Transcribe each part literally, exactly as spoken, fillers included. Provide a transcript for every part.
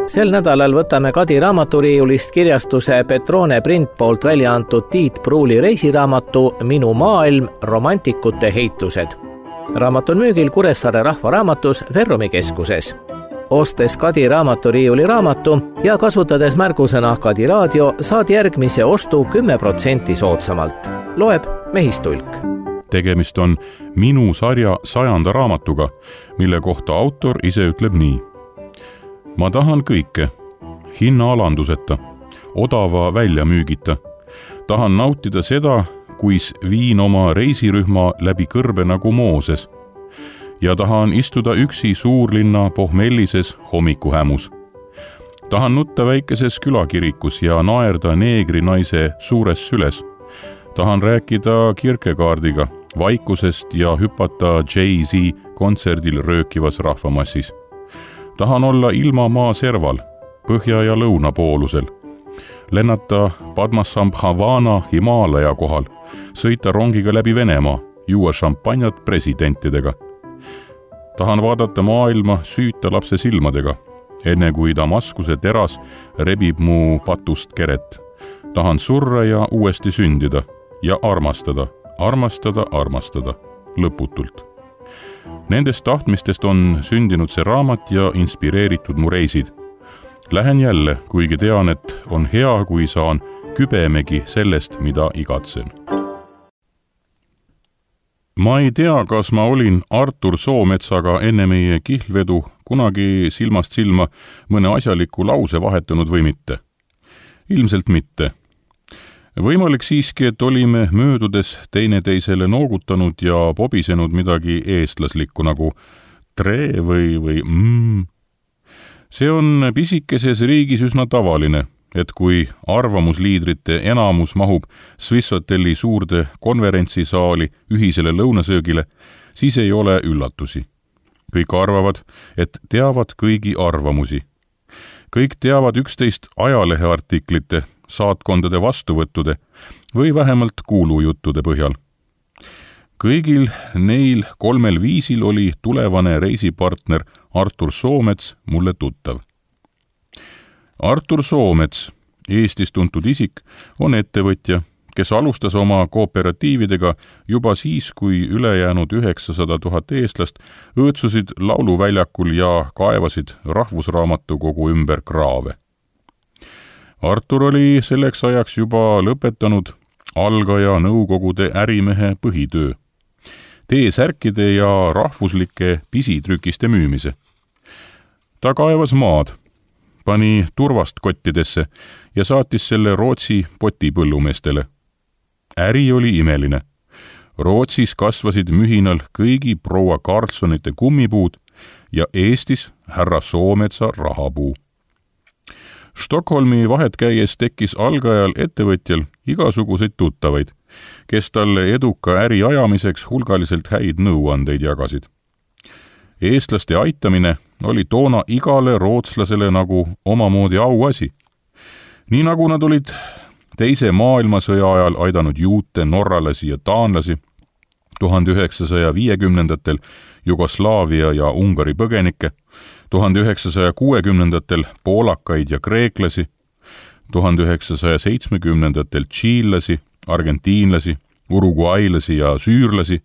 Sel nädalal võtame Kadi raamaturiiulist kirjastuse Petrone Print poolt välja antud Tiit Pruuli reisiraamatu Minu maailm – romantikute heitlused. Raamat on müügil Kuressaare Rahvaraamatus Verrumi keskuses. Ostes Kadi raamaturiiuli raamatu ja kasutades märgusõna Kadi raadio, saad järgmise ostu kümme protsenti soodsamalt. Loeb Mehistulk. Tegemist on Minu sarja sajanda raamatuga, mille kohta autor ise ütleb nii. Ma tahan kõike, hinna alanduseta, odava väljamüügita. Tahan nautida seda, kuis viin oma reisirühma läbi kõrbe nagu Mooses. Ja tahan istuda üksi suurlinna pohmellises hommikuhämus. Tahan nutta väikeses külakirikus ja naerda neegri naise suures süles. Tahan rääkida Kierkegaardiga vaikusest ja hüpata Jay-Z kontserdil röökivas rahvamassis. Tahan olla ilma maa serval, põhja ja lõuna poolusel. Lennata Padmasambhavana Himaalaja kohal, sõita rongiga läbi Venemaa, juua šampanjat presidentidega. Tahan vaadata maailma süüta lapse silmadega, enne kui Damaskuse teras rebib mu patust keret. Tahan surra ja uuesti sündida ja armastada, armastada, armastada, lõputult. Nendest tahtmistest on sündinud see raamat ja inspireeritud mu reisid. Lähen jälle, kuigi tean, et on hea, kui saan kübemegi sellest, mida igatsen. Ma ei tea, kas ma olin Artur Soometsaga enne meie kihlvedu kunagi silmast silma mõne asjaliku lause vahetanud või mitte. Ilmselt mitte. Võimalik siiski, et olime möödudes teineteisele noogutanud ja pobisenud midagi eestlaslikku nagu tre või, või mm. See on pisikeses riigis üsna tavaline, et kui arvamusliidrite enamus mahub Swisshotelli suurde konverentsisaali ühisele lõunasöögile, siis ei ole üllatusi. Kõik arvavad, et teavad kõigi arvamusi. Kõik teavad üksteist ajaleheartiklite, saatkondade vastuvõttude või vähemalt kuulujuttude põhjal. Kõigil neil kolmel viisil oli tulevane reisipartner Artur Soomets mulle tuttav. Artur Soomets, Eestis tuntud isik, on ettevõtja, kes alustas oma kooperatiividega juba siis, kui ülejäänud üheksasada tuhat eestlast õõtsusid lauluväljakul ja kaevasid rahvusraamatukogu ümber kraave. Artur oli selleks ajaks juba lõpetanud algaja nõukogude ärimehe põhitöö, T-särkide ja rahvuslike pisitrükiste müümise. Ta kaevas maad, pani turvast kottidesse ja saatis selle Rootsi potipõllumeestele. Äri oli imeline. Rootsis kasvasid mühinal kõigi proua Karlssonite kummipuud ja Eestis härra Soometsa rahapuu. Stockholmi vahet käies tekkis algajal ettevõtjal igasuguseid tuttavaid, kes talle eduka äri ajamiseks hulgaliselt häid nõuandeid jagasid. Eestlaste aitamine oli toona igale rootslasele nagu omamoodi auasi. Nii nagu nad olid teise maailmasõja ajal aidanud juute, norralasi ja taanlasi, tuhande üheksasaja viiekümnendatel Jugoslaavia ja Ungari põgenikke, tuhande üheksasaja kuuekümnendatel poolakaid ja kreeklasi, tuhande üheksasaja seitsmekümnendatel tšiillasi, argentiinlasi, uruguaylasi ja süürlasi,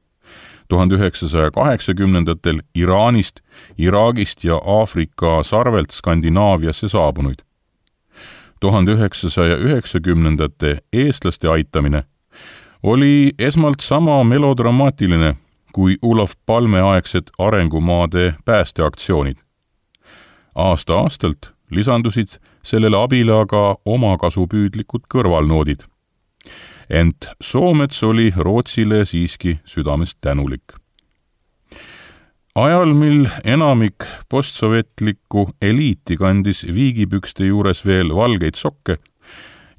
tuhande üheksasaja kaheksakümnendatel Iraanist, Iraagist ja Aafrika sarvelt Skandinaaviasse saabunuid. tuhande üheksasaja üheksakümnendate eestlaste aitamine oli esmalt sama melodramaatiline kui Olof Palme aegsed arengumaade päästeaktsioonid. Aasta-aastalt lisandusid sellele abile aga omakasupüüdlikud kõrvalnoodid. Ent Soomets oli Rootsile siiski südamest tänulik. Ajal, mil enamik postsovetlikku eliiti kandis viigipükste juures veel valgeid sokke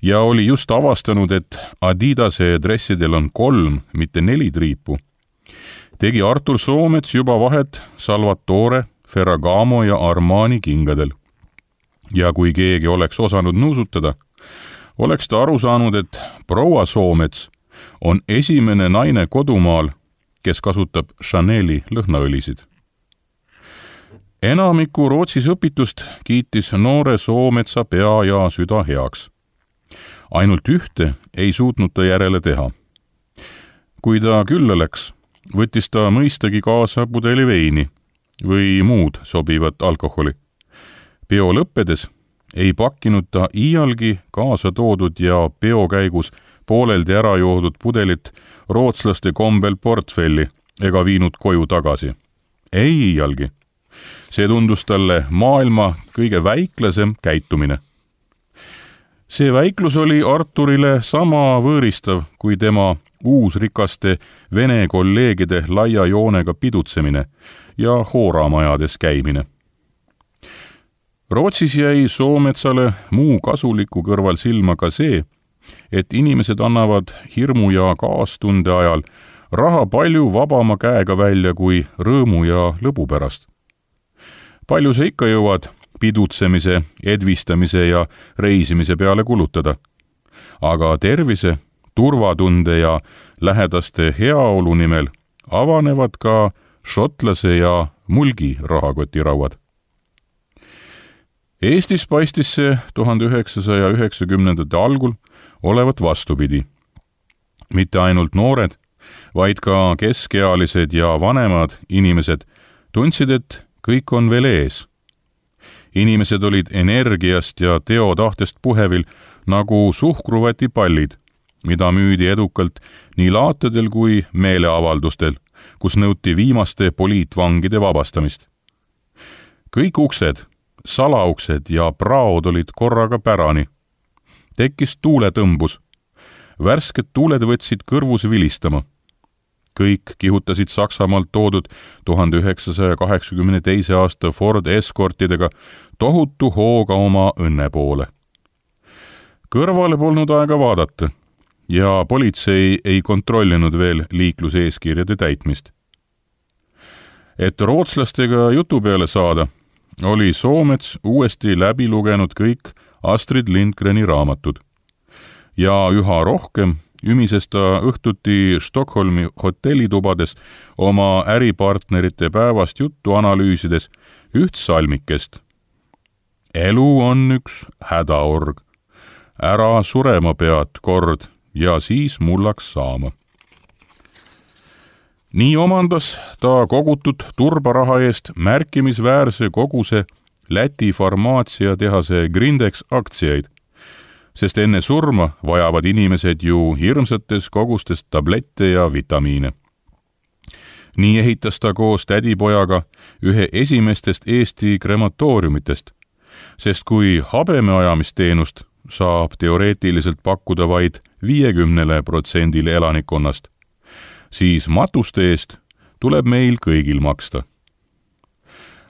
ja oli just avastanud, et Adidase dressidel on kolm, mitte neli triipu, tegi Artur Soomets juba vahet Salvatore, Ferragamo ja Armani kingadel. Ja kui keegi oleks osanud nuusutada, oleks ta aru saanud, et proua Soomets on esimene naine kodumaal, kes kasutab Chaneli lõhnaõlisid. enamiku Rootsis õpitust kiitis noore Soometsa pea ja süda heaks. Ainult ühte ei suutnud ta järele teha. Kui ta külla läks, võttis ta mõistagi kaasa pudeli veini või muud sobivat alkoholi. Peo lõppedes ei pakkinud ta iialgi kaasa toodud ja peo käigus pooleldi ära joodud pudelit rootslaste kombel portfelli ega viinud koju tagasi. Ei iialgi. See tundus talle maailma kõige väiklasem käitumine. See väiklus oli Arturile sama võõristav kui tema uusrikaste vene kolleegide laia joonega pidutsemine ja hooramajades käimine. Rootsis jäi Soometsale muu kasuliku kõrval silma ka see, et inimesed annavad hirmu ja kaastunde ajal raha palju vabama käega välja kui rõõmu ja lõbu pärast. Palju sa ikka jõuad pidutsemise, edvistamise ja reisimise peale kulutada, aga tervise, turvatunde ja lähedaste heaolu nimel avanevad ka šotlase ja mulgi rahakotirauad. Eestis paistis see tuhande üheksasaja üheksakümnendate algul olevat vastupidi. Mitte ainult noored, vaid ka keskealised ja vanemad inimesed tundsid, et kõik on veel ees. Inimesed olid energiast ja teotahtest puhevil nagu suhkruvatipallid, mida müüdi edukalt nii laatedel kui meeleavaldustel, kus nõuti viimaste poliitvangide vabastamist. Kõik uksed, salauksed ja praod olid korraga pärani. Tekkis tuuletõmbus. Värsked tuuled võtsid kõrvus vilistama. Kõik kihutasid Saksamaalt toodud tuhande üheksasaja kaheksakümne teise aasta Ford Escortidega tohutu hooga oma õnne poole. Kõrvale polnud aega vaadata ja politsei ei kontrollinud veel liikluseeskirjade täitmist. Et rootslastega jutu peale saada, oli Soomets uuesti läbi lugenud kõik Astrid Lindgreni raamatud ja üha rohkem ümises ta õhtuti Stockholmi hotellitubades oma äripartnerite päevast juttu analüüsides üht salmikest. Elu on üks hädaorg. Ära surema pead kord ja siis mullaks saama. Nii omandas ta kogutud turbaraha eest märkimisväärse koguse Läti farmaatsiatehase Grindex aktsiaid, sest enne surma vajavad inimesed ju hirmsates kogustes tablette ja vitamiine. Nii ehitas ta koos tädipojaga ühe esimestest Eesti krematooriumitest, sest kui habemeajamisteenust saab teoreetiliselt pakkuda vaid viiekümnele protsendile elanikkonnast, siis matuste eest tuleb meil kõigil maksta.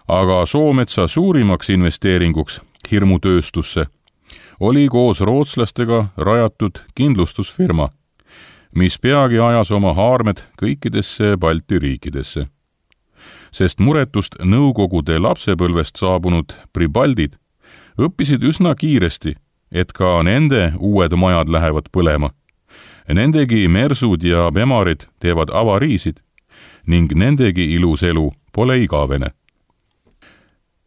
Aga Soometsa suurimaks investeeringuks hirmutööstusse oli koos rootslastega rajatud kindlustusfirma, mis peagi ajas oma haarmed kõikidesse Balti riikidesse. Sest muretust nõukogude lapsepõlvest saabunud pribaldid õppisid üsna kiiresti, et ka nende uued majad lähevad põlema. Nendegi mersud ja bemarid teevad avariisid ning nendegi ilus elu pole igavene.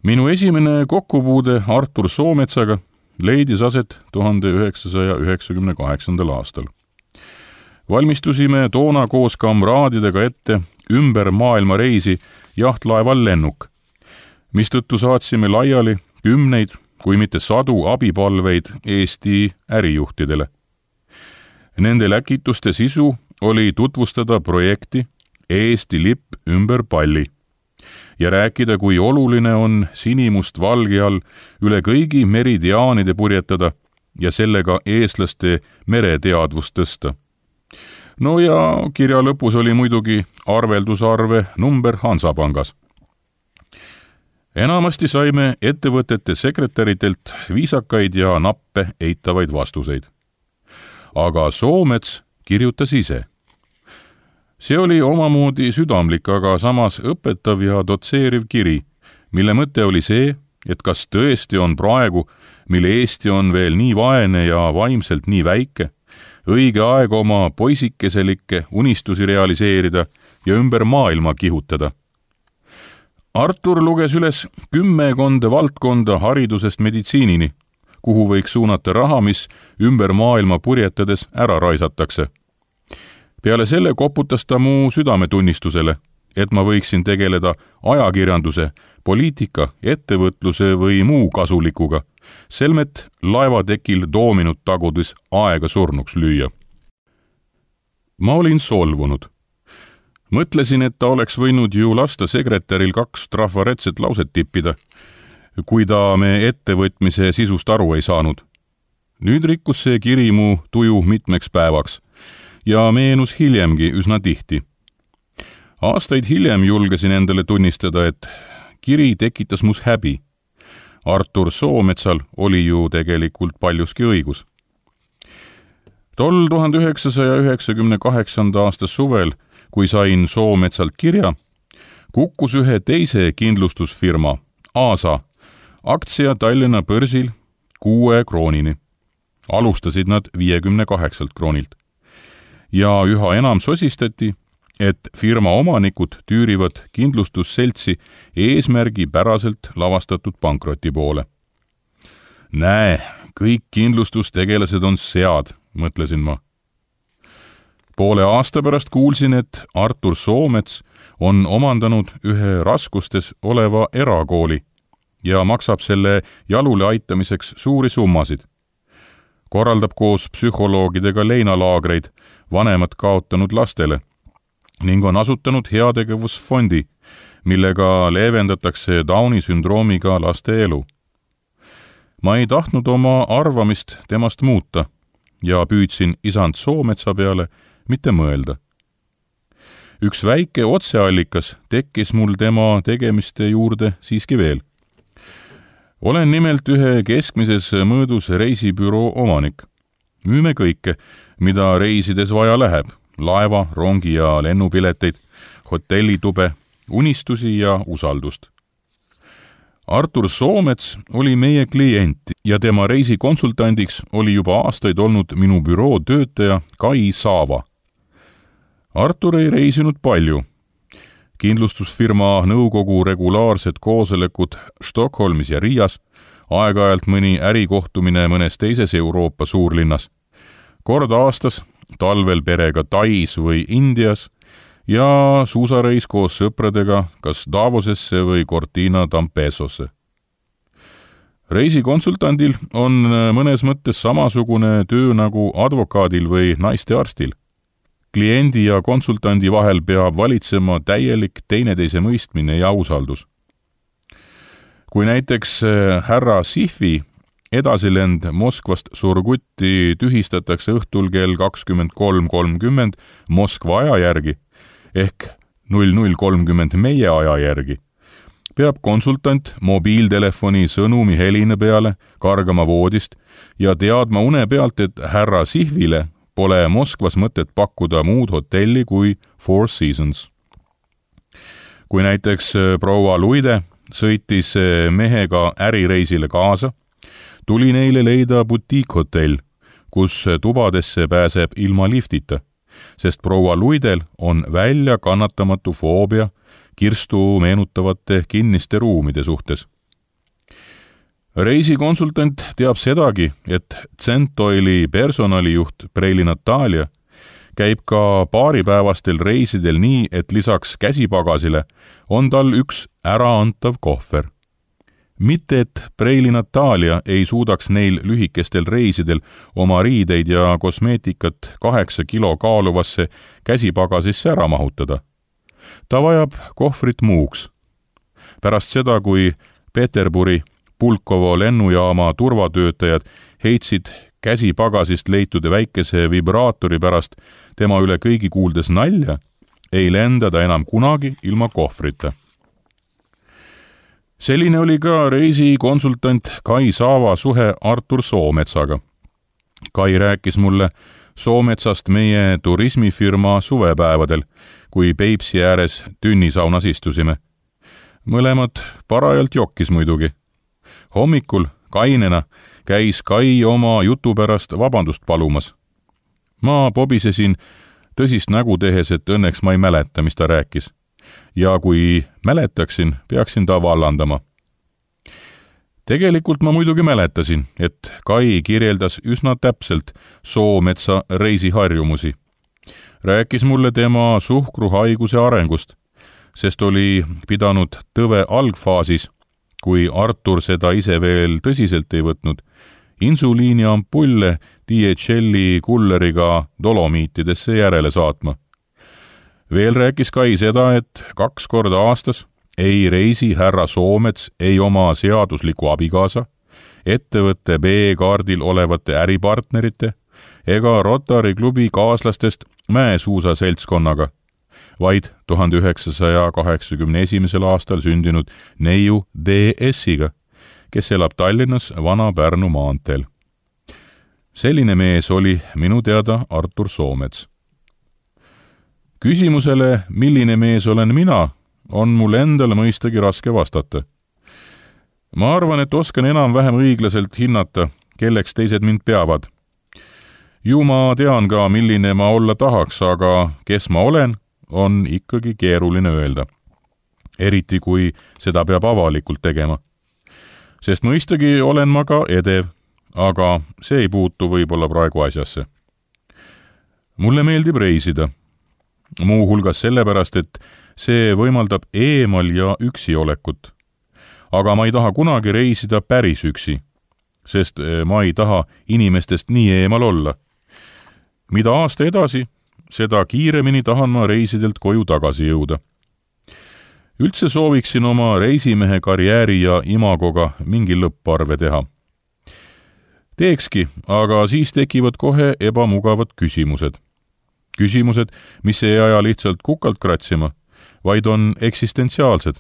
Minu esimene kokkupuude Artur Soometsaga leidis aset tuhande üheksasaja üheksakümne kaheksandal aastal. Valmistusime toona koos kamraadidega ette ümber maailma reisi jahtlaeval Lennuk, mistõttu saatsime laiali kümneid, kui mitte sadu abipalveid Eesti ärijuhtidele. Nende läkituste sisu oli tutvustada projekti Eesti lipp ümber palli ja rääkida, kui oluline on sinimust valge all üle kõigi meridiaanide purjetada ja sellega eestlaste mereteadvust tõsta. No ja kirja lõpus oli muidugi arveldusarve number Hansapangas. Enamasti saime ettevõtete sekretäritelt viisakaid ja nappe eitavaid vastuseid. Aga Soomets kirjutas ise. See oli omamoodi südamlik, aga samas õpetav ja dotseeriv kiri, mille mõte oli see, et kas tõesti on praegu, mille Eesti on veel nii vaene ja vaimselt nii väike, õige aeg oma poisikeselikke unistusi realiseerida ja ümber maailma kihutada. Artur luges üles kümmekonda valdkonda haridusest meditsiinini, kuhu võiks suunata raha, mis ümber maailma purjetades ära raisatakse. Peale selle koputas ta mu südametunnistusele, et ma võiksin tegeleda ajakirjanduse, poliitika, ettevõtluse või muu kasulikuga, selmet laevatekil doominut tagudes aega surnuks lüüa. Ma olin solvunud. Mõtlesin, et ta oleks võinud ju lasta sekretäril kaks trafaretset lauset tippida, kui ta me ettevõtmise sisust aru ei saanud. Nüüd rikkus see kiri mu tuju mitmeks päevaks ja meenus hiljemgi üsna tihti. Aastaid hiljem julgesin endale tunnistada, et kiri tekitas mus häbi. Artur Soometsal oli ju tegelikult paljuski õigus. Tol tuhande üheksasaja üheksakümne kaheksanda aasta suvel, kui sain Soometsalt kirja, kukkus ühe teise kindlustusfirma, Aasa, aktsia Tallinna börsil kuue kroonini. Alustasid nad viiekümne kaheksalt kroonilt. Ja üha enam sosistati, et firma omanikud tüürivad kindlustusseltsi eesmärgi päraselt lavastatud pankroti poole. Näe, kõik kindlustustegelased on sead, mõtlesin ma. Poole aasta pärast kuulsin, et Artur Soomets on omandanud ühe raskustes oleva erakooli ja maksab selle jalule aitamiseks suuri summasid. Korraldab koos psühholoogidega leinalaagreid vanemad kaotanud lastele ning on asutanud heategevusfondi, millega leevendatakse Downi sündroomiga laste elu. Ma ei tahtnud oma arvamist temast muuta ja püüdsin isand Soometsa peale mitte mõelda. Üks väike otseallikas tekkis mul tema tegemiste juurde siiski veel. Olen nimelt ühe keskmises mõõdus reisibüroo omanik. Müüme kõike, mida reisides vaja läheb, laeva, rongi ja lennupileteid, hotellitube, unistusi ja usaldust. Artur Soomets oli meie klient ja tema reisikonsultandiks oli juba aastaid olnud minu büroo töötaja Kai Saava. Artur ei reisinud palju. Kindlustusfirma nõukogu regulaarsed koosolekud Stockholmis ja Riias, aeg-ajalt mõni ärikohtumine mõnes teises Euroopa suurlinnas, kord aastas, talvel perega Tais või Indias ja suusareis koos sõpradega kas Davosesse või Cortina d'Ampezzosse. Reisikonsultandil on mõnes mõttes samasugune töö nagu advokaadil või naistearstil. Kliendi ja konsultandi vahel peab valitsema täielik teineteise mõistmine ja usaldus. Kui näiteks härra Sihvi edasilend Moskvast Surgutti tühistatakse õhtul kell kakskümmend kolm kolmkümmend Moskva aja järgi ehk null null kolmkümmend meie aja järgi, peab konsultant mobiiltelefoni sõnumi heline peale kargama voodist ja teadma une pealt, et härra Sihvile pole Moskvas mõtet pakkuda muud hotelli kui Four Seasons. Kui näiteks proua Luide sõitis mehega ärireisile kaasa, tuli neile leida butiikhotell, kus tubadesse pääseb ilma liftita, sest proua Luidel on välja kannatamatu foobia kirstu meenutavate kinniste ruumide suhtes. Reisikonsultant teab sedagi, et Centoili personalijuht Preili Natalia käib ka paaripäevastel reisidel nii, et lisaks käsipagasile on tal üks äraantav kohver. Mitte, et Preili Natalia ei suudaks neil lühikestel reisidel oma riideid ja kosmeetikat kaheksa kilo kaaluvasse käsipagasisse ära mahutada. Ta vajab kohvrit muuks. Pärast seda, kui Peterburi Pulkovo lennujaama turvatöötajad heitsid käsipagasist leitud väikese vibraatori pärast tema üle kõigi kuuldes nalja, ei lenda ta enam kunagi ilma kohvrita. Selline oli ka reisikonsultant Kai Saava suhe Artur Soometsaga. Kai rääkis mulle Soometsast meie turismifirma suvepäevadel, kui Peipsi ääres tünnisaunas istusime. Mõlemad parajalt jokkis muidugi. Hommikul kainena käis Kai oma jutu pärast vabandust palumas. Ma pobisesin tõsist nägu tehes, et õnneks ma ei mäleta, mis ta rääkis. ja kui mäletaksin, peaksin ta vallandama. Tegelikult ma muidugi mäletasin, et Kai kirjeldas üsna täpselt Soometsa reisiharjumusi. Rääkis mulle tema suhkruhaiguse arengust, sest oli pidanud tõve algfaasis, kui Artur seda ise veel tõsiselt ei võtnud, insuliini ampulle D H L-i kulleriga dolomiitidesse järele saatma. Veel rääkis Kai seda, et kaks korda aastas ei reisi härra Soomets ei oma seadusliku abikaasa, ettevõtte B-kaardil olevate äripartnerite ega Rotary klubi kaaslastest mäesuusa seltskonnaga, vaid tuhande üheksasaja kaheksakümne esimesel aastal sündinud neiu D S-iga, kes elab Tallinnas Vana-Pärnu maanteel. Selline mees oli minu teada Artur Soomets. Küsimusele, milline mees olen mina, on mul endal mõistagi raske vastata. Ma arvan, et oskan enam-vähem õiglaselt hinnata, kelleks teised mind peavad. Ju ma tean ka, milline ma olla tahaks, aga kes ma olen, on ikkagi keeruline öelda. Eriti kui seda peab avalikult tegema. Sest mõistagi olen ma ka edev, aga see ei puutu võib-olla praegu asjasse. Mulle meeldib reisida. Muu hulgas sellepärast, et see võimaldab eemal ja üksi olekut. Aga ma ei taha kunagi reisida päris üksi, sest ma ei taha inimestest nii eemal olla. Mida aasta edasi, seda kiiremini tahan ma reisidelt koju tagasi jõuda. Üldse sooviksin oma reisimehe karjääri ja imagoga mingi lõpparve teha. Teekski, aga siis tekivad kohe ebamugavad küsimused. Küsimused, mis ei aja lihtsalt kukalt kratsima, vaid on eksistentsiaalsed.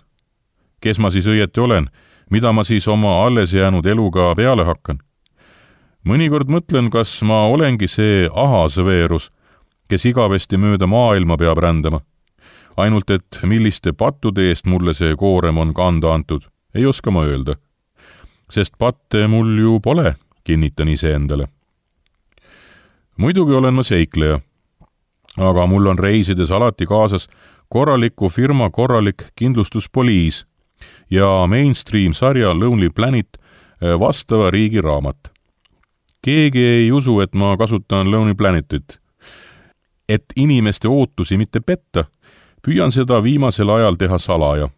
Kes ma siis õieti olen? Mida ma siis oma alles jäänud eluga peale hakkan? Mõnikord mõtlen, kas ma olengi see ahasveerus, kes igavesti mööda maailma peab rändama. Ainult, et milliste pattude eest mulle see koorem on kanda antud, ei oska ma öelda. Sest patte mul ju pole, kinnitan ise endale. Muidugi olen ma seikleja, aga mul on reisides alati kaasas korraliku firma korralik kindlustuspoliis ja mainstream sarja Lonely Planet vastava riigi raamat. Keegi ei usu, et ma kasutan Lonely Planetit. Et inimeste ootusi mitte petta, püüan seda viimasel ajal teha salaja.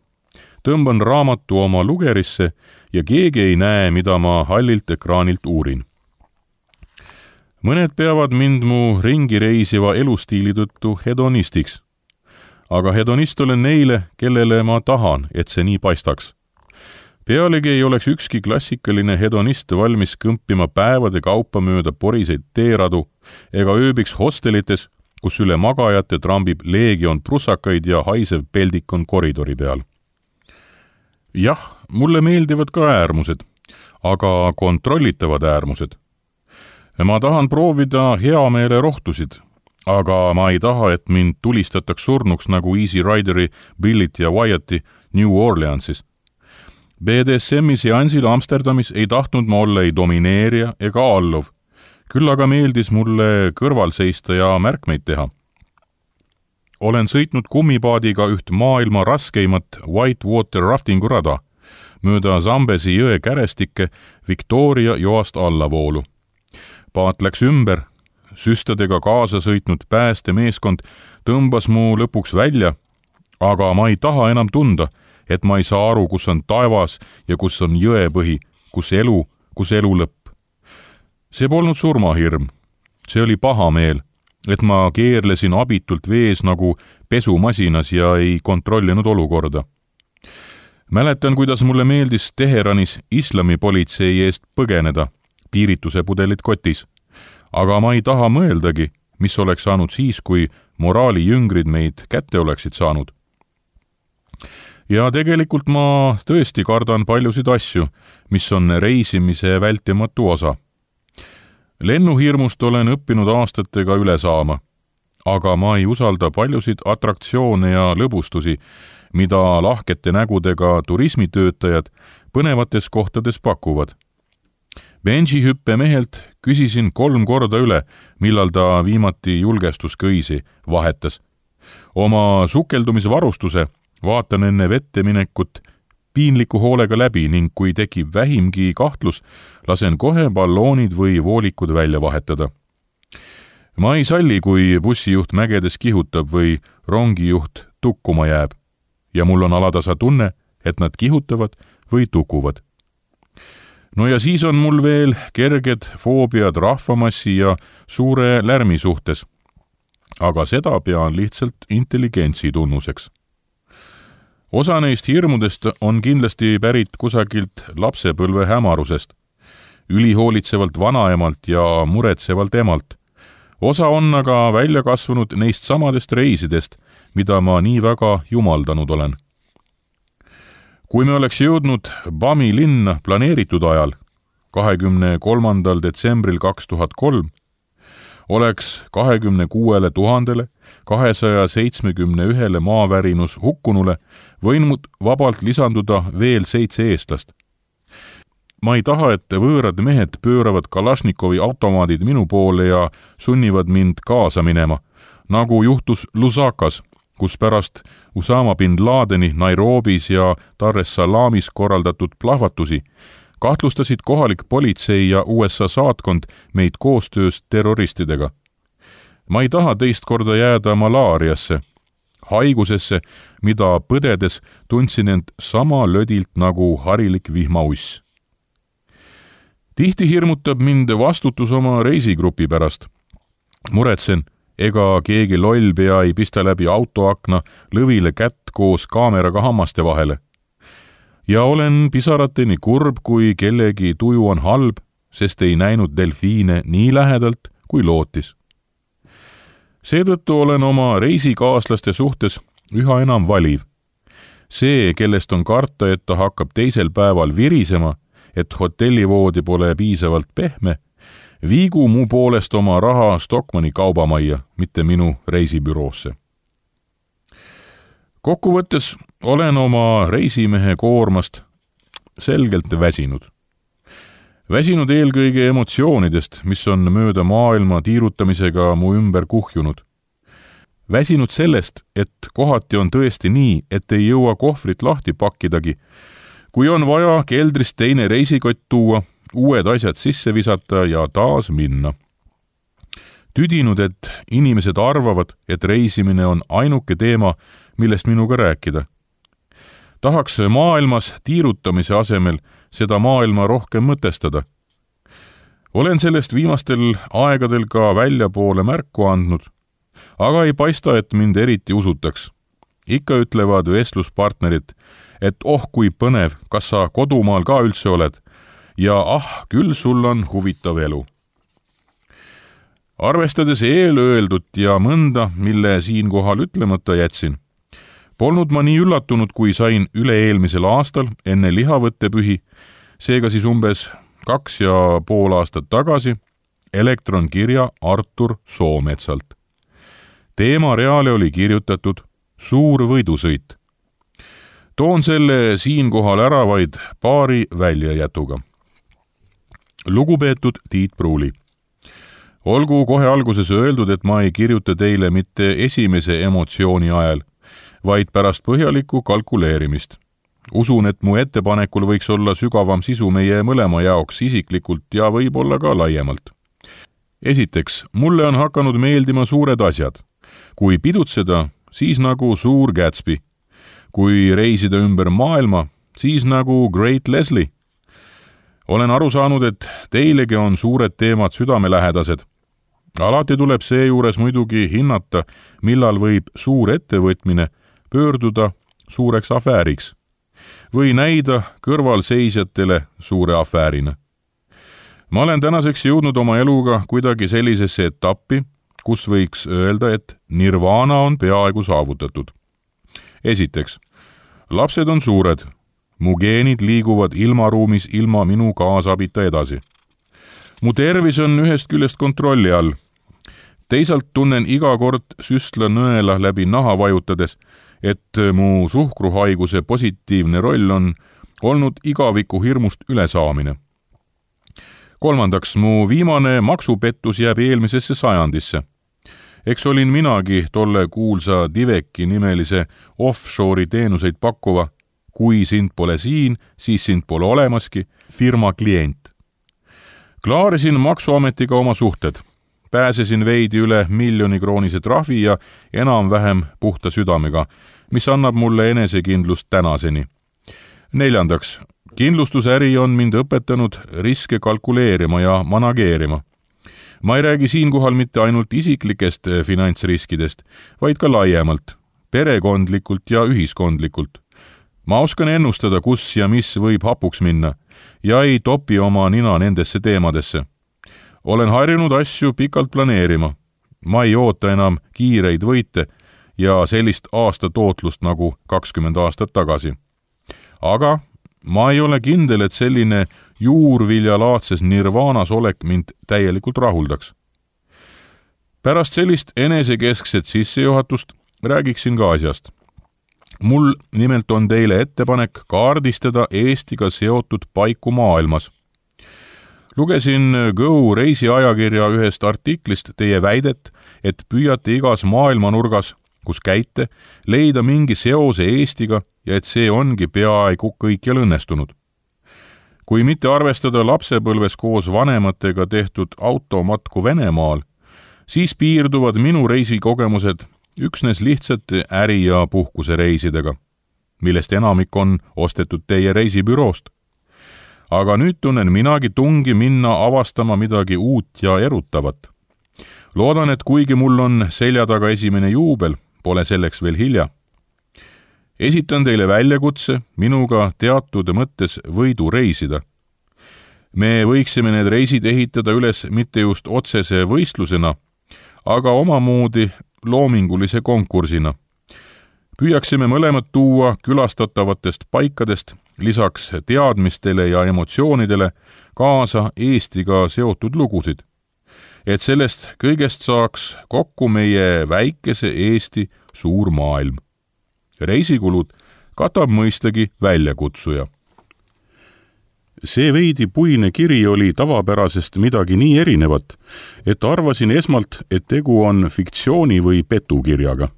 Tõmban raamatu oma lugerisse ja keegi ei näe, mida ma hallilt ekraanilt uurin. Mõned peavad mind mu ringi reisiva elustiili tõttu hedonistiks. Aga hedonist olen neile, kellele ma tahan, et see nii paistaks. Pealegi ei oleks ükski klassikaline hedonist valmis kõmpima päevade kaupa mööda poriseid teeradu ega ööbiks hostelites, kus üle magajate trambib leegion prussakaid ja haisev peldik on koridori peal. Jah, mulle meeldivad ka äärmused, aga kontrollitavad äärmused. Ma tahan proovida heameele rohtusid, aga ma ei taha, et mind tulistataks surnuks nagu Easy Rideri, Billit ja Wyatti New Orleansis. B D S M-i seansil Amsterdamis ei tahtnud ma olla ei domineerija ega alluv, küll aga meeldis mulle kõrval seista ja märkmeid teha. Olen sõitnud kummipaadiga üht maailma raskeimat whitewater raftingu rada, mööda Zambezi jõe kärestikke Victoria joast allavoolu. Paat läks ümber, süstadega kaasa sõitnud päästemeeskond tõmbas mu lõpuks välja, aga ma ei taha enam tunda, et ma ei saa aru, kus on taevas ja kus on jõepõhi, kus elu, kus elu lõpp. See polnud surmahirm. See oli paha meel, et ma keerlesin abitult vees nagu pesumasinas ja ei kontrollinud olukorda. Mäletan, kuidas mulle meeldis Teheranis islamipolitsei eest põgeneda, piirituse pudelit kotis. Aga ma ei taha mõeldagi, mis oleks saanud siis, kui moraali jüngrid meid kätte oleksid saanud. Ja tegelikult ma tõesti kardan paljusid asju, mis on reisimise vältimatu osa. Lennuhirmust olen õppinud aastatega üle saama, aga ma ei usalda paljusid atraktsioone ja lõbustusi, mida lahkete nägudega turismitöötajad põnevates kohtades pakuvad. Benji-hüppe mehelt küsisin kolm korda üle, millal ta viimati julgestuskõisi vahetas. oma sukeldumisvarustuse vaatan enne vette minekut piinliku hoolega läbi ning kui tekib vähimgi kahtlus, lasen kohe balloonid või voolikud välja vahetada. Ma ei salli, kui bussijuht mägedes kihutab või rongijuht tukkuma jääb ja mul on alatasa tunne, et nad kihutavad või tukuvad. No ja siis on mul veel kerged foobiad rahvamassi ja suure lärmi suhtes, aga seda pean lihtsalt intelligentsi tunnuseks. Osa neist hirmudest on kindlasti pärit kusagilt lapsepõlve hämarusest, ülihoolitsevalt vanaemalt ja muretsevalt emalt. Osa on aga välja kasvanud neist samadest reisidest, mida ma nii väga jumaldanud olen. Kui me oleks jõudnud Bami linna planeeritud ajal, kahekümne kolmandal detsembril kaks tuhat kolm, oleks kahekümne kuuele tuhandele kahesaja seitsmekümne ühele maavärinus hukkunule võinud vabalt lisanduda veel seitse eestlast. Ma ei taha, et võõrad mehed pööravad Kalašnikovi automaadid minu poole ja sunnivad mind kaasa minema, nagu juhtus Lusakas, kus pärast Usama bin Ladeni Nairobis ja Dar es Salaamis korraldatud plahvatusi kahtlustasid kohalik politsei ja U S A saatkond meid koostöös terroristidega. Ma ei taha teist korda jääda malaariasse, haigusesse, mida põdedes tundsin end sama lödilt nagu harilik vihmauss. Tihti hirmutab mind vastutus oma reisigrupi pärast. Muretsen, ega keegi loll pea ei pista läbi autoakna lõvile kätt koos kaameraga hammaste vahele. Ja olen pisarateni kurb, kui kellegi tuju on halb, sest ei näinud delfiine nii lähedalt, kui lootis. Seetõttu olen oma reisikaaslaste suhtes üha enam valiv. See, kellest on karta, et ta hakkab teisel päeval virisema, et hotellivoodi pole piisavalt pehme, viigu mu poolest oma raha Stockmanni kaubamajja, mitte minu reisibüroosse. Kokkuvõttes olen oma reisimehe koormast selgelt väsinud. Väsinud eelkõige emotsioonidest, mis on mööda maailma tiirutamisega mu ümber kuhjunud. Väsinud sellest, et kohati on tõesti nii, et ei jõua kohvrit lahti pakkidagi, kui on vaja keldrist teine reisikott tuua, uued asjad sisse visata ja taas minna. Tüdinud, et inimesed arvavad, et reisimine on ainuke teema, millest minuga rääkida. Tahaks maailmas tiirutamise asemel seda maailma rohkem mõtestada. Olen sellest viimastel aegadel ka väljapoole märku andnud, aga ei paista, et mind eriti usutaks. Ikka ütlevad vestluspartnerid, et oh kui põnev, kas sa kodumaal ka üldse oled ja ah, küll sul on huvitav elu. Arvestades eelöeldut ja mõnda, mille siinkohal ütlemata jätsin, polnud ma nii üllatunud, kui sain üle-eelmisel aastal enne lihavõttepühi, seega siis umbes kaks ja pool aastat tagasi, elektronkirja Artur Soometsalt. Teemareale oli kirjutatud Suur võidusõit. Toon selle siinkohal ära vaid paari väljajätuga. Lugupeetud Tiit Pruuli. Olgu kohe alguses öeldud, et ma ei kirjuta teile mitte esimese emotsiooni ajal, vaid pärast põhjalikku kalkuleerimist. Usun, et mu ettepanekul võiks olla sügavam sisu meie mõlema jaoks isiklikult ja võib-olla ka laiemalt. Esiteks, mulle on hakanud meeldima suured asjad. Kui pidutseda, siis nagu Suur Gatsby. Kui reisida ümber maailma, siis nagu Great Leslie. Olen aru saanud, et teilegi on suured teemad südamelähedased. Alati tuleb seejuures muidugi hinnata, millal võib suur ettevõtmine pöörduda suureks afääriks või näida kõrvalseisjatele suure afäärina. Ma olen tänaseks jõudnud oma eluga kuidagi sellisesse etappi, kus võiks öelda, et nirvana on peaaegu saavutatud. Esiteks, lapsed on suured, mu geenid liiguvad ilmaruumis ilma minu kaasabita edasi. Mu tervis on ühest küljest kontrolli all. Teisalt tunnen iga kord süstla nõela läbi naha vajutades, et mu suhkruhaiguse positiivne roll on olnud igaviku hirmust ülesaamine. Kolmandaks, mu viimane maksupettus jääb eelmisesse sajandisse. eks olin minagi tolle kuulsa Diveki nimelise offshore'i teenuseid pakkuva, kui sind pole siin, siis sind pole olemaski, firma klient. Klaarisin maksuametiga oma suhted. Pääsesin veidi üle miljoni kroonise trahvi ja enam-vähem puhta südamega, mis annab mulle enesekindlust tänaseni. Neljandaks, kindlustusäri on mind õpetanud riske kalkuleerima ja manageerima. Ma ei räägi siinkohal mitte ainult isiklikest finantsriskidest, vaid ka laiemalt, perekondlikult ja ühiskondlikult. Ma oskan ennustada, kus ja mis võib hapuks minna ja ei topi oma nina nendesse teemadesse. Olen harjunud asju pikalt planeerima. Ma ei oota enam kiireid võite ja sellist aasta tootlust nagu kakskümmend aastat tagasi. Aga ma ei ole kindel, et selline juurviljalaadses nirvaanas olek mind täielikult rahuldaks. Pärast sellist enesekeskset sissejuhatust räägiksin ka asjast. Mul nimelt on teile ettepanek kaardistada Eestiga seotud paiku maailmas. Lugesin Go reisiajakirja ühest artiklist teie väidet, et püüate igas maailmanurgas, kus käite, leida mingi seose Eestiga ja et see ongi peaaegu kõikjal õnnestunud. Kui mitte arvestada lapsepõlves koos vanematega tehtud automatku Venemaal, siis piirduvad minu reisikogemused üksnes lihtsate äri- ja puhkuse reisidega, millest enamik on ostetud teie reisibüroost. Aga nüüd tunnen minagi tungi minna avastama midagi uut ja erutavat. Loodan, et kuigi mul on selja taga esimene juubel, pole selleks veel hilja. Esitan teile väljakutse minuga teatud mõttes võidu reisida. Me võiksime need reisid ehitada üles mitte just otsese võistlusena, aga omamoodi loomingulise konkursina. Püüaksime mõlemad tuua külastatavatest paikadest lisaks teadmistele ja emotsioonidele kaasa Eestiga seotud lugusid, et sellest kõigest saaks kokku meie väikese Eesti suur maailm. Reisikulud katab mõistagi väljakutsuja. See veidi puine kiri oli tavapärasest midagi nii erinevat, et arvasin esmalt, et tegu on fiktsiooni või petukirjaga.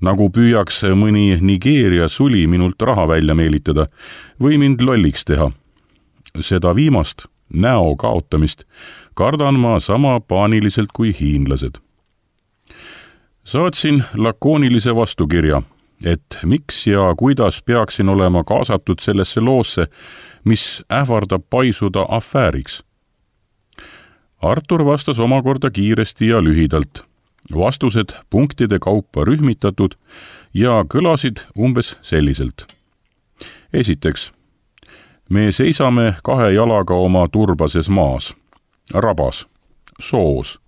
Nagu püüaks mõni Nigeeria suli minult raha välja meelitada või mind lolliks teha. Seda viimast, näo kaotamist, kardan ma sama paaniliselt kui hiinlased. Saatsin lakoonilise vastukirja, et miks ja kuidas peaksin olema kaasatud sellesse loosse, mis ähvardab paisuda afääriks. Artur vastas omakorda kiiresti ja lühidalt. Vastused punktide kaupa rühmitatud ja kõlasid umbes selliselt. Esiteks, me seisame kahe jalaga oma turbases maas, rabas, soos.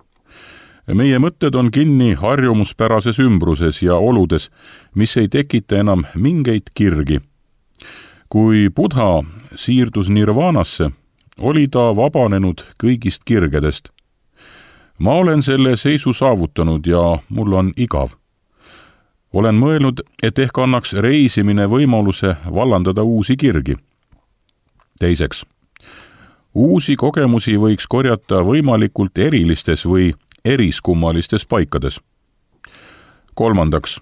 Meie mõtted on kinni harjumuspärases ümbruses ja oludes, mis ei tekita enam mingeid kirgi. Kui Buddha siirdus nirvaanasse, oli ta vabanenud kõigist kirgedest. Ma olen selle seisu saavutanud ja mul on igav. Olen mõelnud, et ehk annaks reisimine võimaluse vallandada uusi kirgi. Teiseks, uusi kogemusi võiks korjata võimalikult erilistes või eriskummalistes paikades. Kolmandaks,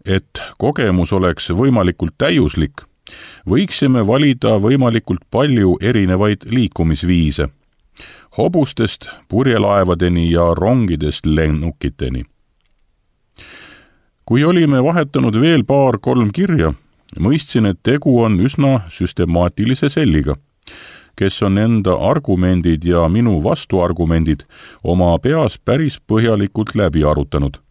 et kogemus oleks võimalikult täiuslik, võiksime valida võimalikult palju erinevaid liikumisviise, hobustest purjelaevadeni ja rongidest lennukiteni. Kui olime vahetanud veel paar-kolm kirja, mõistsin, et tegu on üsna süstemaatilise selliga, kes on enda argumendid ja minu vastuargumendid oma peas päris põhjalikult läbi arutanud.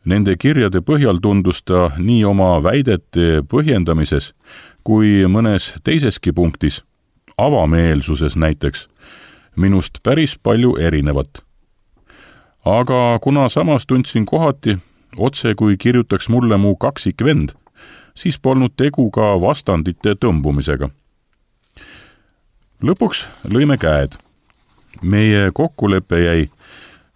Nende kirjade põhjal tundus ta nii oma väidete põhjendamises kui mõnes teiseski punktis, avameelsuses näiteks, minust päris palju erinevat. Aga kuna samas tundsin kohati, otse kui kirjutaks mulle mu kaksikvend, siis polnud tegu ka vastandite tõmbumisega. Lõpuks lõime käed. Meie kokkulepe jäi,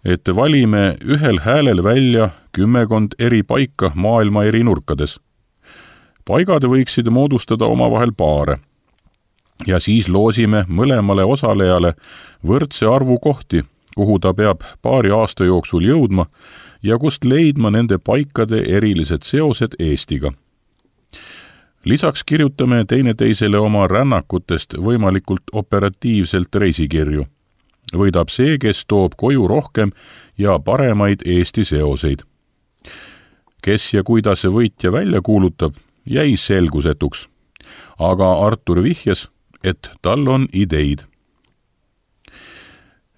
et valime ühel häälel välja kümmekond eri paika maailma eri nurkades. Paigad võiksid moodustada omavahel paare. Ja siis loosime mõlemale osalejale võrdse arvu kohti, kuhu ta peab paari aasta jooksul jõudma ja kust leidma nende paikade erilised seosed Eestiga. Lisaks kirjutame teineteisele oma rännakutest võimalikult operatiivselt reisikirju. Võidab see, kes toob koju rohkem ja paremaid Eesti seoseid. Kes ja kuidas võitja välja kuulutab, jäi selgusetuks. Aga Artur vihjas, et tal on ideid.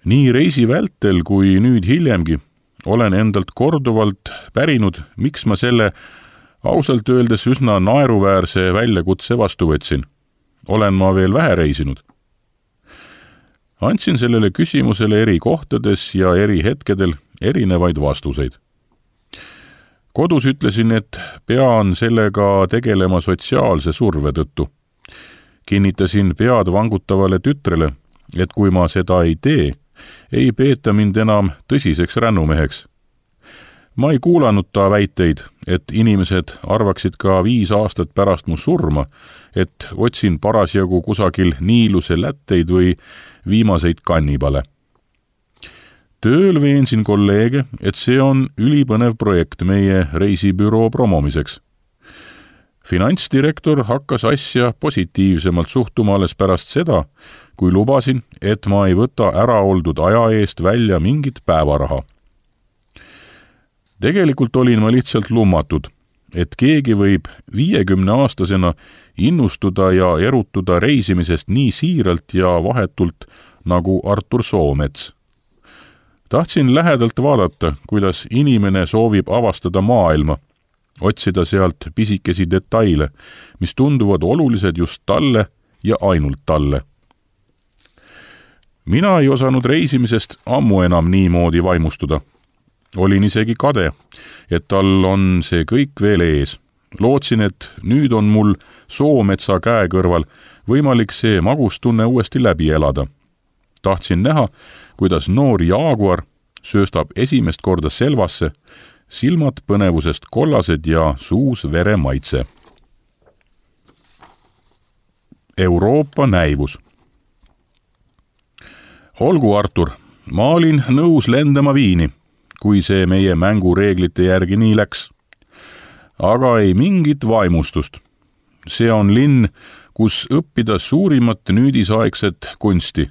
Nii reisi vältel kui nüüd hiljemgi olen endalt korduvalt pärinud, miks ma selle ausalt öeldes üsna naeruväärse väljakutse vastu võtsin. Olen ma veel vähe reisinud. Andsin sellele küsimusele eri kohtades ja eri hetkedel erinevaid vastuseid. Kodus ütlesin, et pean sellega tegelema sotsiaalse surve tõttu. Kinnitasin pead vangutavale tütrele, et kui ma seda ei tee, ei peeta mind enam tõsiseks rännumeheks. Ma ei kuulanud ta väiteid, et inimesed arvaksid ka viis aastat pärast mu surma, et otsin parasjagu kusagil Niiluse lätteid või viimaseid kannibale. Tööl veensin kolleege, et see on ülipõnev projekt meie reisibüroo promomiseks. Finantsdirektor hakkas asja positiivsemalt suhtuma alles pärast seda, kui lubasin, et ma ei võta ära oldud aja eest välja mingit päevaraha. Tegelikult olin ma lihtsalt lummatud, et keegi võib viiekümne aastasena innustuda ja erutuda reisimisest nii siiralt ja vahetult nagu Artur Soomets. Tahtsin lähedalt vaadata, kuidas inimene soovib avastada maailma, otsida sealt pisikesi detaile, mis tunduvad olulised just talle ja ainult talle. Mina ei osanud reisimisest ammu enam niimoodi vaimustuda. Olin isegi kade, et tal on see kõik veel ees. Lootsin, et nüüd on mul Soometsa käe kõrval võimalik see magustunne uuesti läbi elada. Tahtsin näha, kuidas noor jaaguar sööstab esimest korda selvasse, silmad põnevusest kollased ja suus vere maitse. Euroopa näivus. Olgu, Artur, ma olin nõus lendama Viini, kui see meie mängureeglite järgi nii läks. Aga ei mingit vaimustust. See on linn, kus õppida suurimat nüüdisaegset kunsti.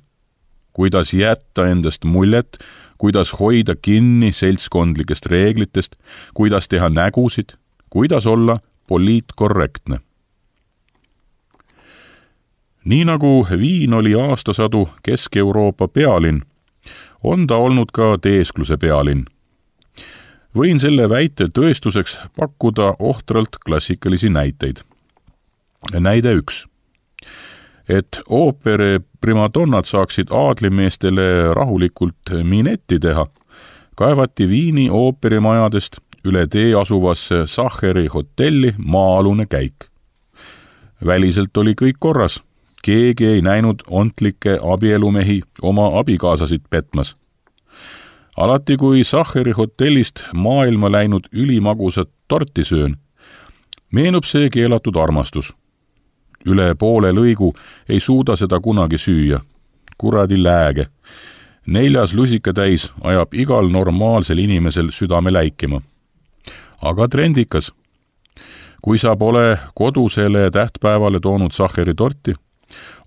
Kuidas jätta endast muljet, kuidas hoida kinni seltskondlikest reeglitest, kuidas teha nägusid, kuidas olla poliitkorrektne. Nii nagu Viin oli aastasadu Kesk-Euroopa pealinn, on ta olnud ka teeskluse pealinn. Võin selle väite tõestuseks pakkuda ohtralt klassikalisi näiteid. Näide üks. Et ooperi primadonnad saaksid aadlimeestele rahulikult minetti teha, kaevati Viini ooperimajadest üle tee asuvasse Sacheri hotelli maa-alune käik. Väliselt oli kõik korras. Keegi ei näinud ontlikke abielumehi oma abikaasasid petmas. Alati kui Sacheri hotellist maailma läinud ülimagusat torti söön, meenub see keelatud armastus. Üle poole lõigu ei suuda seda kunagi süüa. Kuradi lääge. Neljas lusikatäis ajab igal normaalsel inimesel südame läikima. Aga trendikas. Kui sa pole kodusele tähtpäevale toonud Sacheri torti,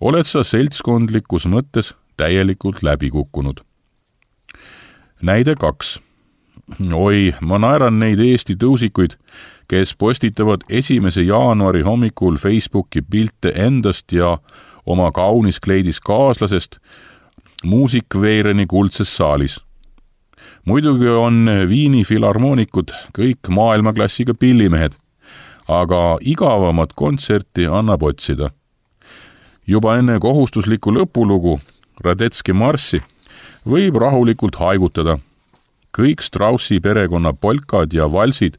oled sa seltskondlikus mõttes täielikult läbi kukkunud. Näide kaks. Oi, ma naeran neid Eesti tõusikuid, kes postitavad esimese jaanuari hommikul Facebooki pilte endast ja oma kaunis kleidis kaaslasest muusikveereni kuldses saalis. Muidugi on Viini filharmoonikud kõik maailmaklassiga pillimehed, aga igavamat kontserti annab otsida. Juba enne kohustuslikku lõpulugu, Radetski marssi, võib rahulikult haigutada. Kõik Straussi perekonna polkad ja valsid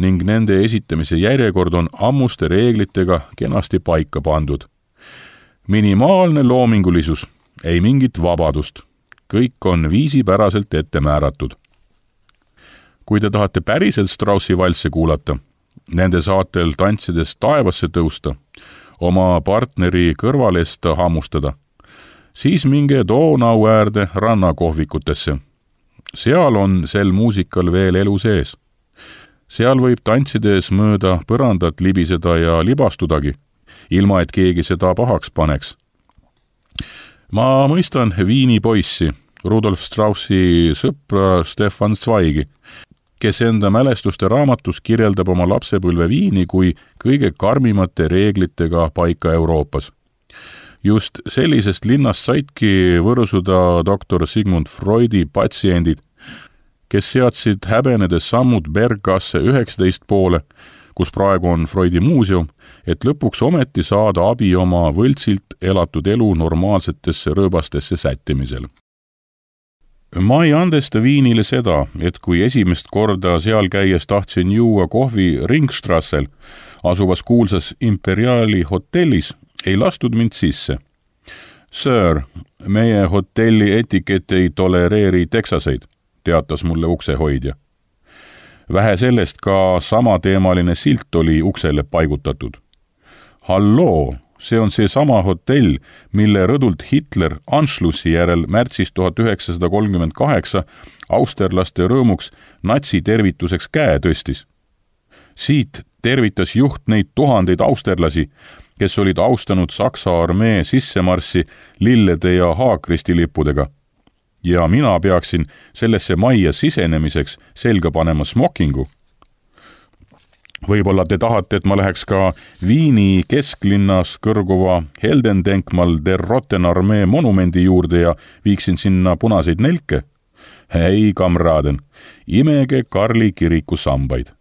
ning nende esitamise järjekord on ammuste reeglitega kenasti paika pandud. Minimaalne loomingulisus, ei mingit vabadust. Kõik on viisipäraselt ette määratud. Kui te tahate päriselt Straussi valsse kuulata, nende saatel tantsides taevasse tõusta, oma partneri kõrvalest hammustada, siis minge Donau äärde rannakohvikutesse seal on sel muusikal veel elu sees. Seal võib tantsides mööda põrandat libiseda ja libastudagi, ilma et keegi seda pahaks paneks. Ma mõistan Viini poissi, Rudolf Straussi sõpra Stefan Zweigi, kes enda mälestuste raamatus kirjeldab oma lapsepõlve Viini kui kõige karmimate reeglitega paika Euroopas. Just sellisest linnast saidki võrsuda doktor Sigmund Freudi patsiendid, kes seadsid häbenedes sammud Berggasse üheksateist poole, kus praegu on Freudi muuseum, et lõpuks ometi saada abi oma võltsilt elatud elu normaalsetesse rööbastesse sättimisel. Ma ei andesta Viinile seda, et kui esimest korda seal käies tahtsin juua kohvi Ringstrassel, asuvas kuulsas Imperiali hotellis, ei lastud mind sisse. Sir, meie hotelli etikett ei tolereeri teksaseid, teatas mulle uksehoidja. Vähe sellest ka samateemaline silt oli uksele paigutatud. Halloo, see on see sama hotell, mille rõdult Hitler Anschlussi järel märtsis tuhat üheksasada kolmkümmend kaheksa austerlaste rõõmuks natsi tervituseks käe tõstis. Siit tervitas juht neid tuhandeid austerlasi, kes olid austanud Saksa armee sissemarssi lillede ja haakristilippudega. Ja mina peaksin sellesse majja sisenemiseks selga panema smokingu. Võib-olla te tahate, et ma läheks ka Viini kesklinnas kõrguva Heldendenkmal der Roten armee monumendi juurde ja viiksin sinna punaseid nelke? Hei, kamraden, imege Karli kiriku sambaid.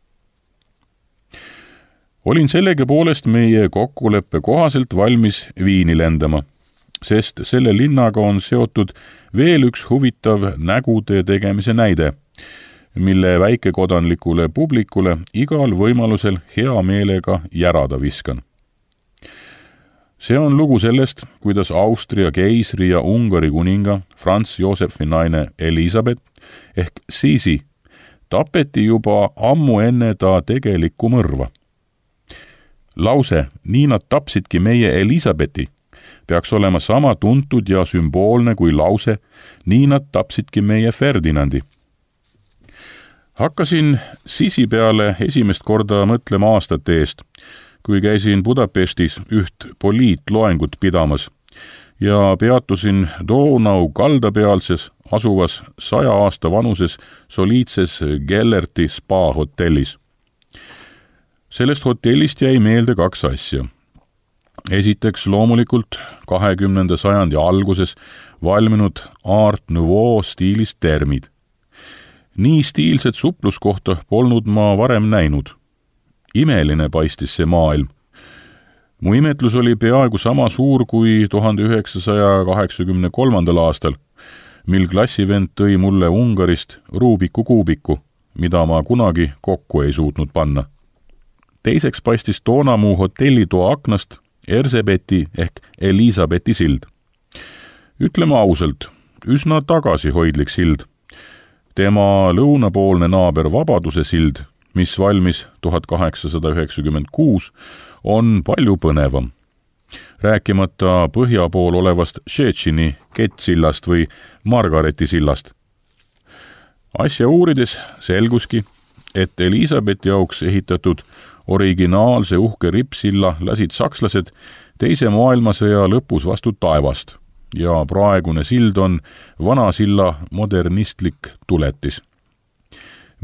Olin sellegi poolest meie kokkuleppe kohaselt valmis Viini lendama, sest selle linnaga on seotud veel üks huvitav nägude tegemise näide, mille väikekodanlikule publikule igal võimalusel hea meelega järada viskan. See on lugu sellest, kuidas Austria keisri ja Ungari kuninga Franz Josefi naine Elisabeth ehk Sisi tapeti juba ammu enne ta tegelikku mõrva. Lause, nii nad tapsidki meie Elisabethi, peaks olema sama tuntud ja sümboolne kui lause, nii nad tapsidki meie Ferdinandi. Hakkasin Sisi peale esimest korda mõtlema aastate eest, kui käisin Budapestis üht poliitloengut pidamas ja peatusin Donau kaldapealses asuvas saja aasta vanuses soliidses Gellerti spa hotellis. Sellest hotellist jäi meelde kaks asja. Esiteks loomulikult kahekümnenda sajandi alguses valminud Art Nouveau stiilis termid. Nii stiilset supluskohta polnud ma varem näinud. Imeline paistis see maailm. Mu imetlus oli peaaegu sama suur kui tuhande üheksasaja kaheksakümne kolmandal aastal, mil klassivend tõi mulle Ungarist Rubiku kuubiku, mida ma kunagi kokku ei suutnud panna. Teiseks paistis toona mu hotellitoa aknast Erzebeti ehk Elisabethi sild. Ütleme ausalt, üsna tagasihoidlik sild. Tema lõunapoolne naaber Vabaduse sild, mis valmis tuhat kaheksasada üheksakümmend kuus, on palju põnevam. Rääkimata põhja pool olevast Šetšini kettsillast või Margareti sillast. Asja uurides selguski, et Elisabethi jaoks ehitatud originaalse uhke rippsilla lasid sakslased teise maailmasõja lõpus vastu taevast ja praegune sild on vana silla modernistlik tuletis.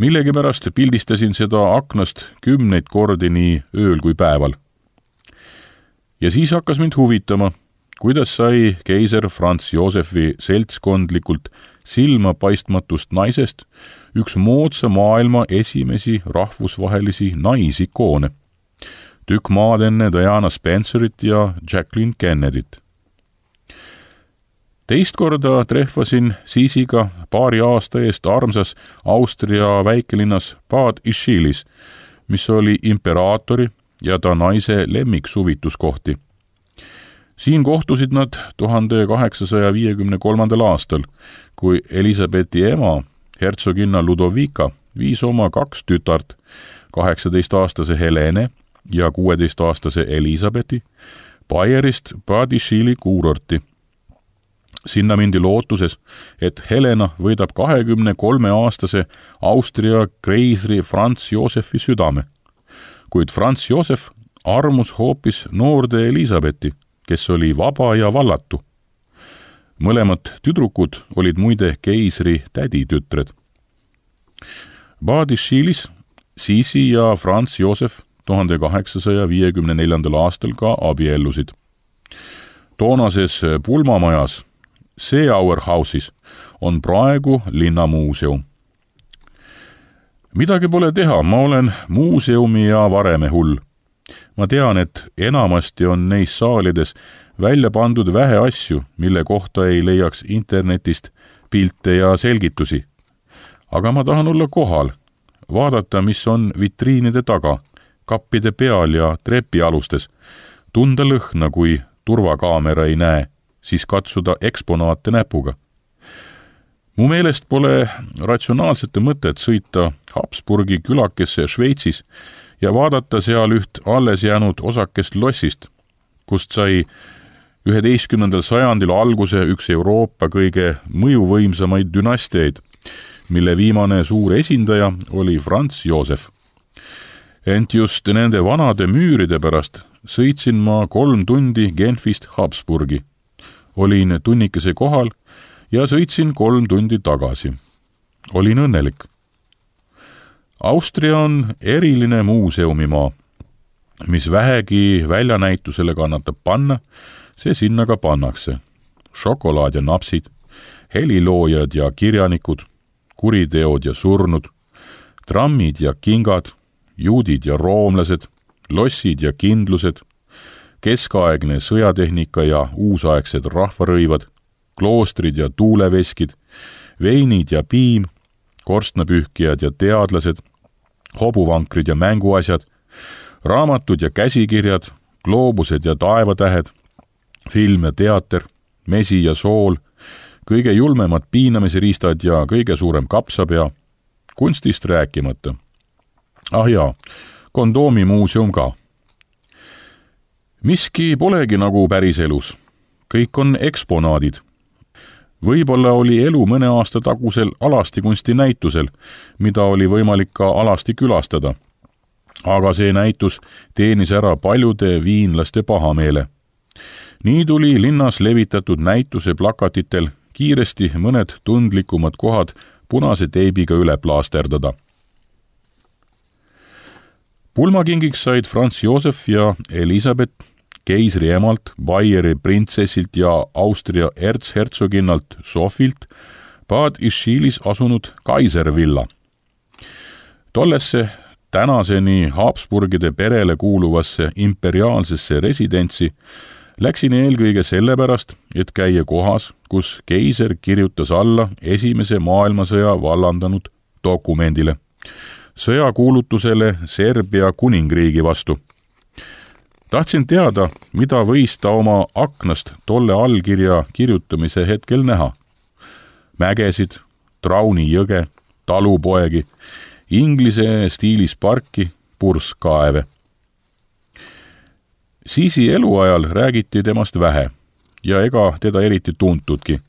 Millegipärast pildistasin seda aknast kümneid kordi nii ööl kui päeval. Ja siis hakkas mind huvitama, kuidas sai keiser Franz Josefi seltskondlikult silma paistmatust naisest üks moodsa maailma esimesi rahvusvahelisi naisikoone. Tükk maad enne Diana Spencerit ja Jacqueline Kennedyt. Teist korda trehvasin Sisiga paari aasta eest armsas Austria väikelinnas Bad Ischielis, mis oli imperaatori ja ta naise lemmiksuvituskohti. Siin kohtusid nad tuhande kaheksasaja viiekümne kolmandal aastal, kui Elisabethi ema, hertsoginna Ludovika, viis oma kaks tütart, kaheksateistaastase Helene ja kuueteistaastase Elisabethi, Bayerist Bad Ischili kuurorti. Sinna mindi lootuses, et Helena võidab kahekümne kolme aastase Austria kreisri Franz Josefi südame. Kuid Franz Josef armus hoopis noorde Elisabethi, kes oli vaba ja vallatu. Mõlemad tüdrukud olid muide keisri täditütred. Bad Ischielis Sisi ja Franz Josef tuhande kaheksasaja viiekümne neljandal aastal ka abiellusid. Toonases pulmamajas Seeauer House'is on praegu linnamuuseum. Midagi pole teha, ma olen muuseumi ja vareme hull. Ma tean, et enamasti on neis saalides välja pandud vähe asju, mille kohta ei leiaks internetist pilte ja selgitusi. Aga ma tahan olla kohal, vaadata, mis on vitriinide taga, kappide peal ja trepialustes, tunda lõhna, kui turvakaamera ei näe, siis katsuda eksponaate näpuga. Mu meelest pole ratsionaalsete mõtet sõita Habsburgi külakesse Šveitsis ja vaadata seal üht alles jäänud osakest lossist, kust sai üheteistkümnendal sajandil alguse üks Euroopa kõige mõjuvõimsamaid dünastiaid, mille viimane suur esindaja oli Franz Josef. Ent just nende vanade müüride pärast sõitsin ma kolm tundi Genfist Habsburgi. Olin tunnikese kohal ja sõitsin kolm tundi tagasi. Olin õnnelik. Austria on eriline muuseumimaa. Mis vähegi väljanäitusele kannatab panna, see sinna ka pannakse. Šokolaad ja napsid, heliloojad ja kirjanikud, kuriteod ja surnud, trammid ja kingad, juudid ja roomlased, lossid ja kindlused, keskaegne sõjatehnika ja uusaegsed rahvarõivad, kloostrid ja tuuleveskid, veinid ja piim, korstnapühkijad ja teadlased, hobuvankrid ja mänguasjad, raamatud ja käsikirjad, gloobused ja taevatähed, film ja teater, mesi ja sool, kõige julmemad piinamisriistad ja kõige suurem kapsapea, kunstist rääkimata. Ah jaa, kondoomimuuseum ka. Miski polegi nagu päriselus. Kõik on eksponaadid. Võib-olla oli elu mõne aasta tagusel alastikunsti näitusel, mida oli võimalik ka alasti külastada. Aga see näitus teenis ära paljude viinlaste pahameele. Nii tuli linnas levitatud näituse plakatitel kiiresti mõned tundlikumad kohad punase teibiga üle plaasterdada. Pulmakingiks said Franz Josef ja Elisabeth keisri emalt, Baieri printsessilt ja Austria erzhertsoginnalt Sofilt Bad Ischielis asunud Kaiservilla. Tollesse tänaseni Habsburgide perele kuuluvasse imperiaalsesse residentsi läksin eelkõige sellepärast, et käia kohas, kus keiser kirjutas alla esimese maailmasõja vallandanud dokumendile, sõjakuulutusele Serbia kuningriigi vastu. Tahtsin teada, mida võis ta oma aknast tolle allkirja kirjutamise hetkel näha. Mägesid, Trauni jõge, talupoegi, inglise stiilis parki, purskkaeve. Sisi eluajal räägiti temast vähe ja ega teda eriti tuntudki.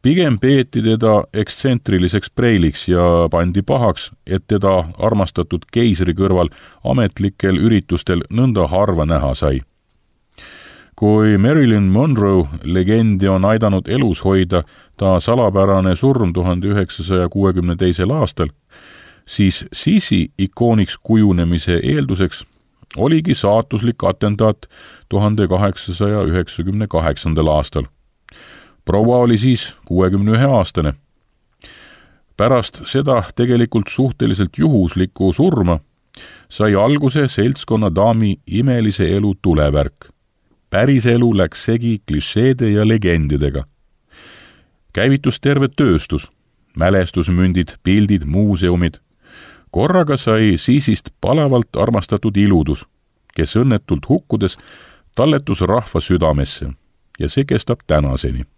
Pigem peeti teda ekstsentriliseks preiliks ja pandi pahaks, et teda armastatud keisri kõrval ametlikel üritustel nõnda harva näha sai. Kui Marilyn Monroe legendi on aidanud elus hoida ta salapärane surm tuhande üheksasaja kuuekümne teisel aastal, siis Sisi ikooniks kujunemise eelduseks oligi saatuslik atendaat tuhande kaheksasaja üheksakümne kaheksandal aastal. Proua oli siis kuuekümne ühe aastane. Pärast seda tegelikult suhteliselt juhuslikku surma sai alguse seltskonna daami imelise elu tulevärk. Päris elu läks segi klišeede ja legendidega. Käivitus terve tööstus, mälestusmündid, pildid, muuseumid. Korraga sai Sisist palavalt armastatud iludus, kes õnnetult hukkudes talletus rahva südamesse ja see kestab tänaseni.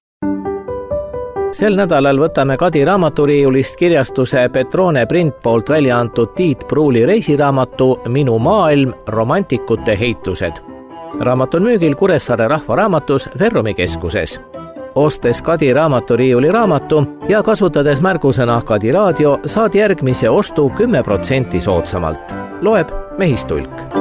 Sel nädalal võtame Kadi raamaturiiulist kirjastuse Petrone print poolt välja antud Tiit Pruuli reisiraamatu Minu maailm, romantikute heitlused. Raamat on müügil Kuressaare Rahvaraamatus Verrumi keskuses. ostes Kadi raamaturiiuli raamatu ja kasutades märgusõna Kadi raadio, saad järgmise ostu kümme protsenti soodsamalt. Loeb Mehistulk.